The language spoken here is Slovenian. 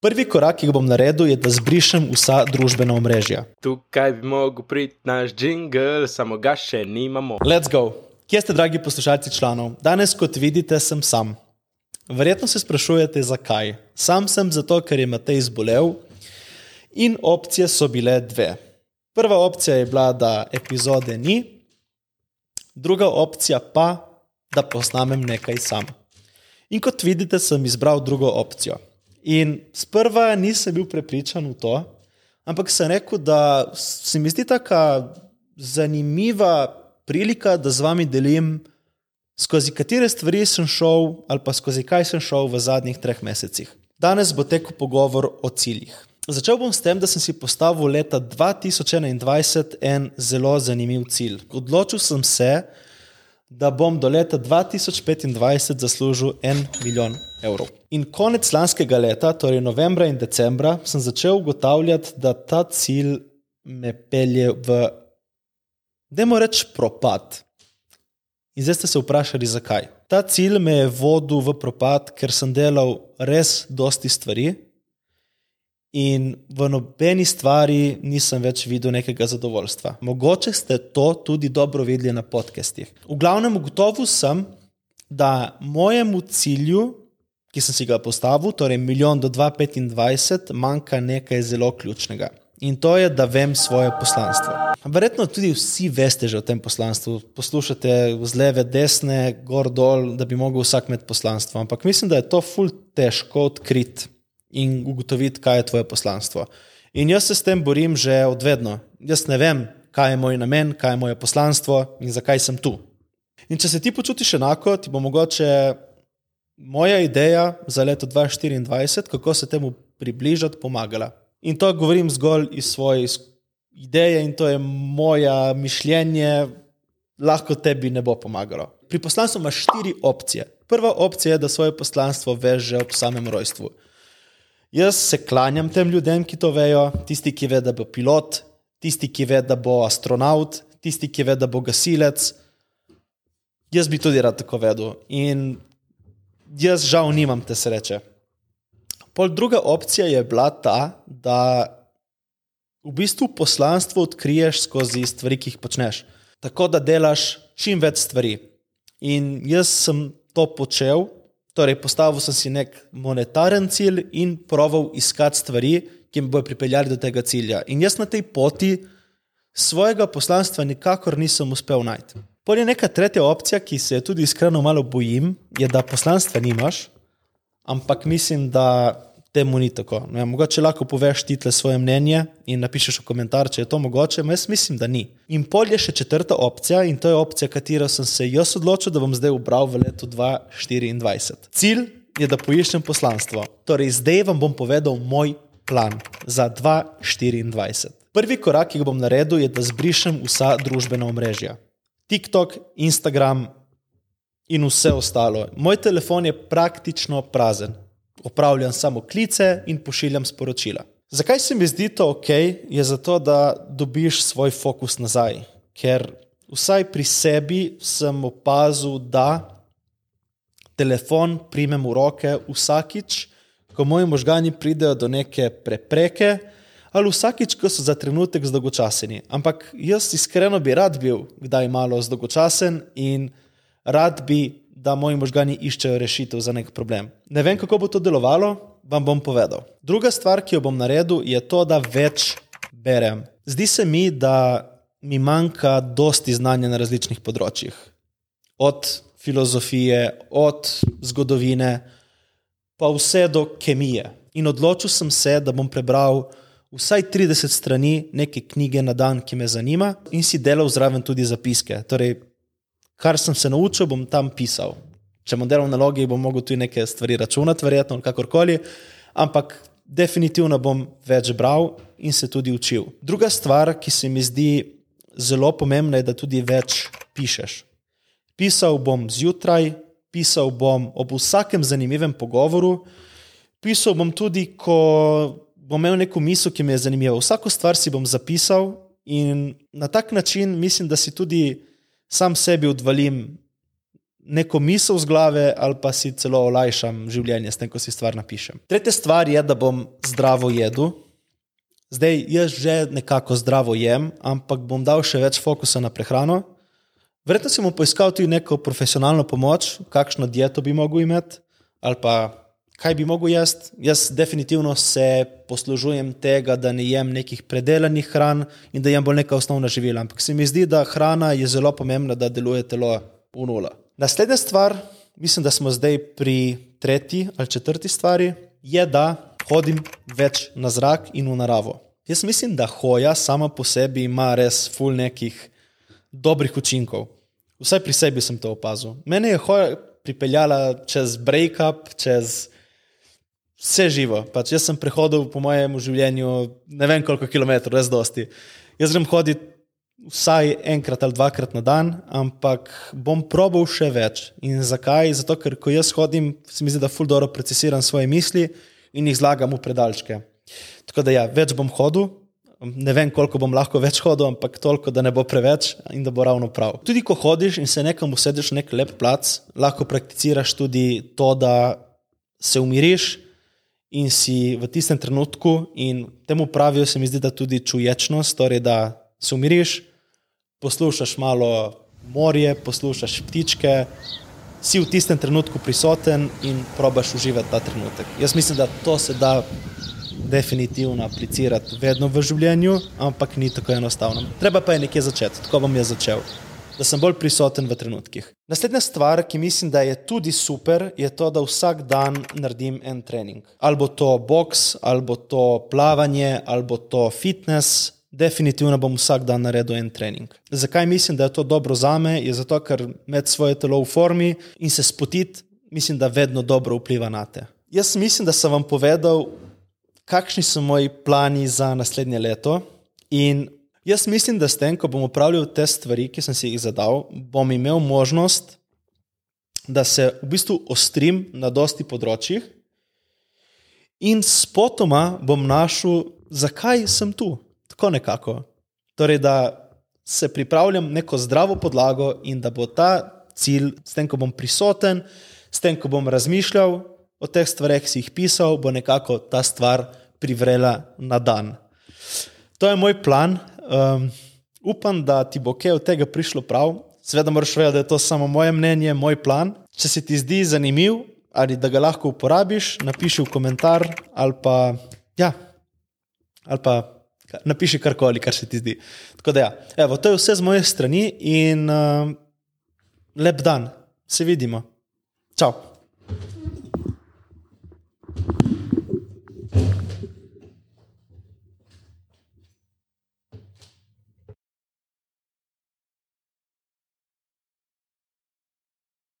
Prvi korak, ki ga bom naredil, je, da zbrišem vsa družbena omrežja. Tukaj bi mogel priti naš jingle, samo ga še nimamo. Let's go! Kje ste, dragi poslušalci članov? Danes, kot vidite, sem sam. Verjetno se sprašujete, zakaj. Sam sem zato, ker je Matej zbolel in opcije so bile dve. Prva opcija je bila, da epizode ni, druga opcija pa, da posnamem nekaj sam. In kot vidite, sem izbral drugo opcijo. In sprva nisem bil prepričan v to, ampak sem rekel, da se mi zdi taka zanimiva prilika, da z vami delim, skozi katere stvari sem šel ali pa skozi kaj sem šel v zadnjih 3 mesecih. Danes bo tekel pogovor o ciljih. Začel bom s tem, da sem si postavil leta 2021 en zelo zanimiv cilj. Odločil sem se, da bom do leta 2025 zaslužil 1 milijon evrov. In konec lanskega leta, torej novembra in decembra, sem začel ugotavljati, da ta cilj me pelje v, dajmo reči, propad. In zdaj ste se vprašali, zakaj. Ta cilj me je vodil v propad, ker sem delal res dosti stvari in v nobeni stvari nisem več videl nekega zadovoljstva. Mogoče ste to tudi dobro videli na podcastih. V glavnem ugotovil sem, da mojemu cilju, ki sem si ga postavil, torej 1 milijon do 2025, manjka nekaj zelo ključnega. In to je, da vem svoje poslanstvo. Verjetno tudi vsi veste že o tem poslanstvu. Poslušate z leve, desne, gor, dol, da bi mogel vsak imeti poslanstvo. Ampak mislim, da je to ful težko odkriti in ugotoviti, kaj je tvoje poslanstvo. In jaz se s tem borim že od vedno. Jaz ne vem, kaj je moj namen, kaj je moje poslanstvo in zakaj sem tu. In če se ti počutiš enako, ti bo mogoče moja ideja za leto 2024, kako se temu približati, pomagala. In to govorim zgolj iz svoje ideje in to je moja mišljenje, lahko tebi ne bo pomagalo. Pri poslanstvu imaš 4 opcije. Prva opcija je, da svoje poslanstvo veš že ob samem rojstvu. Jaz se klanjam tem ljudem, ki to vejo, tisti, ki ve, da bo pilot, tisti, ki ve, da bo astronaut, tisti, ki ve, da bo gasilec. Jaz bi tudi rad tako vedel in jaz žal nimam te sreče. Pol druga opcija je bila ta, da v bistvu poslanstvo odkriješ skozi stvari, ki jih počneš. Tako da delaš čim več stvari. In jaz sem to počel, torej postavil sem si nek monetaren cilj in proval iskati stvari, ki me bojo pripeljali do tega cilja. In jaz na tej poti svojega poslanstva nikakor nisem uspel najti. Pol je neka tretja opcija, ki se je tudi iskreno malo bojim, je, da poslanstva nimaš, ampak mislim, da temu ni tako. No, mogoče lahko poveš ti tle svoje mnenje in napišeš v komentar, če je to mogoče, jaz mislim, da ni. In pol je še četrta opcija in to je opcija, katero sem se jaz odločil, da bom zdaj ubral v letu 2024. Cilj je, da poiščem poslanstvo. Torej, zdaj vam bom povedal moj plan za 2024. Prvi korak, ki ga bom naredil, je, da zbrišem vsa družbena omrežja. TikTok, Instagram in vse ostalo. Moj telefon je praktično prazen. Opravljam samo klice in pošiljam sporočila. Zakaj se mi zdi to ok? Je zato, da dobiš svoj fokus nazaj. Ker vsaj pri sebi sem opazil, da telefon primem v roke vsakič, ko moji možgani pridejo do neke prepreke, ali vsakič, ko so za trenutek zdolgočaseni. Ampak jaz iskreno bi rad bil kdaj malo zdolgočasen in rad bi, da moji možgani iščejo rešitev za nek problem. Ne vem, kako bo to delovalo, vam bom povedal. Druga stvar, ki jo bom naredil, je to, da več berem. Zdi se mi, da mi manjka dosti znanja na različnih področjih. Od filozofije, od zgodovine, pa vse do kemije. In odločil sem se, da bom prebral vsaj 30 strani neke knjige na dan, ki me zanima in si delal zraven tudi zapiske. Torej, kar sem se naučil, bom tam pisal. Če bom delal nalogi, bom mogel tudi neke stvari računati, verjetno, kakorkoli, ampak definitivno bom več bral in se tudi učil. Druga stvar, ki se mi zdi zelo pomembna, je, da tudi več pišeš. Pisal bom zjutraj, pisal bom ob vsakem zanimivem pogovoru, pisal bom tudi, ko bom imel neko misel, ki me je zanimiva. Vsako stvar si bom zapisal in na tak način mislim, da si tudi sam sebi odvalim neko misel z glave ali pa si celo olajšam življenje s tem, ko si stvar napišem. Tretja stvar je, da bom zdravo jedel. Zdaj, jaz že nekako zdravo jem, ampak bom dal še več fokusa na prehrano. Verjetno si bom poiskal tudi neko profesionalno pomoč, kakšno dieto bi mogel imeti ali pa kaj bi mogel jesti. Jaz definitivno se poslužujem tega, da ne jem nekih predelanih hran in da jem bolj neka osnovna živila. Ampak se mi zdi, da hrana je zelo pomembna, da deluje telo v nula. Naslednja stvar, mislim, da smo zdaj pri tretji ali četrti stvari, je, da hodim več na zrak in v naravo. Jaz mislim, da hoja sama po sebi ima res ful nekih dobrih učinkov. Vsaj pri sebi sem to opazil. Mene je hoja pripeljala čez break-up, čez vse živo. Pač jaz sem prehodil po mojem življenju ne vem koliko kilometrov, res dosti. Jaz grem hoditi vsaj enkrat ali dvakrat na dan, ampak bom probal še več. In zakaj? Zato, ker ko jaz hodim, se mi zdi, da ful dobro procesiram svoje misli in jih zlagam v predalčke. Tako da ja, več bom hodil, ne vem koliko bom lahko več hodil, ampak toliko, da ne bo preveč in da bo ravno prav. Tudi ko hodiš in se nekam usedeš v nek lep plac, lahko prakticiraš tudi to, da se umiriš in si v tistem trenutku, in temu pravijo, se mi zdi, da tudi čuječnost, torej da se umiriš, poslušaš malo morje, poslušaš ptičke, si v tistem trenutku prisoten in probaš uživati ta trenutek. Jaz mislim, da to se da definitivno aplicirati vedno v življenju, ampak ni tako enostavno. Treba pa je nekje začeti, tako bom jaz začel, da sem bolj prisoten v trenutkih. Naslednja stvar, ki mislim, da je tudi super, je to, da vsak dan naredim en trening. Albo to boks, albo to plavanje, albo to fitness. Definitivno bom vsak dan naredil en trening. Zakaj mislim, da je to dobro zame? Je zato, ker imeti svoje telo v formi in se spotiti, mislim, da vedno dobro vpliva na te. Jaz mislim, da sem vam povedal, kakšni so moji plani za naslednje leto, in jaz mislim, da s tem, ko bom opravljal te stvari, ki sem si jih zadal, bom imel možnost, da se v bistvu ostrim na dosti področjih in spotoma bom našel, zakaj sem tu. Tako nekako. Torej, da se pripravljam neko zdravo podlago in da bo ta cilj, s tem, ko bom prisoten, s tem, ko bom razmišljal o teh stvareh, si jih pisal, bo nekako ta stvar privrela na dan. To je moj plan. Upam, da ti bo kaj od tega prišlo prav. Seveda moraš vedeti, da je to samo moje mnenje, moj plan. Če se ti zdi zanimiv ali da ga lahko uporabiš, napiši v komentar ali pa napiši karkoli, kar se ti zdi. Tako da ja, evo, to je vse z moje strani in lep dan. Se vidimo. Čau.